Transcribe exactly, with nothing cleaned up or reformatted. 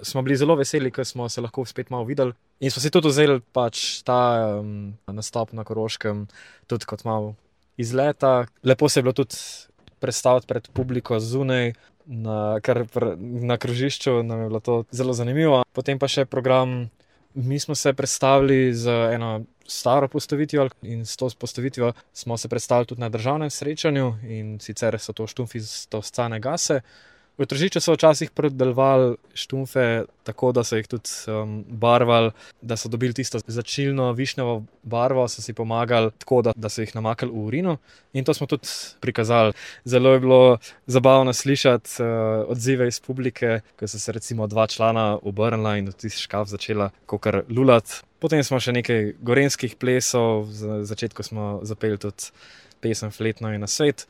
smo bili zelo veseli, ker smo se lahko spet malo videli. In smo si tudi vzeli pač ta um, nastop na Koroškem tudi kot malo izleta. Lepo se je bilo tudi predstaviti pred publiko zunaj, na, kar pr, na krožišču nam je bilo to zelo zanimivo. Potem pa še program, mi smo se predstavili z eno staro postavitvijo in s to postavitvijo smo se predstavili tudi na državnem srečanju in sicer so to štumfi z Toscane Gase. V Tržiču so včasih predelovali štumfe tako, da so jih tudi um, barvali, da so dobili tisto začilno višnjevo barvo, so si pomagali tako, da, da so jih namakali v urino in to smo tudi prikazali. Zelo je bilo zabavno slišati uh, odzive iz publike, ko so se recimo dva člana obrnila in tisti škaf začela kakor lulati. Potem smo še nekaj gorenjskih plesov, v začetku smo zapeli tudi pesem Fletno je na svet.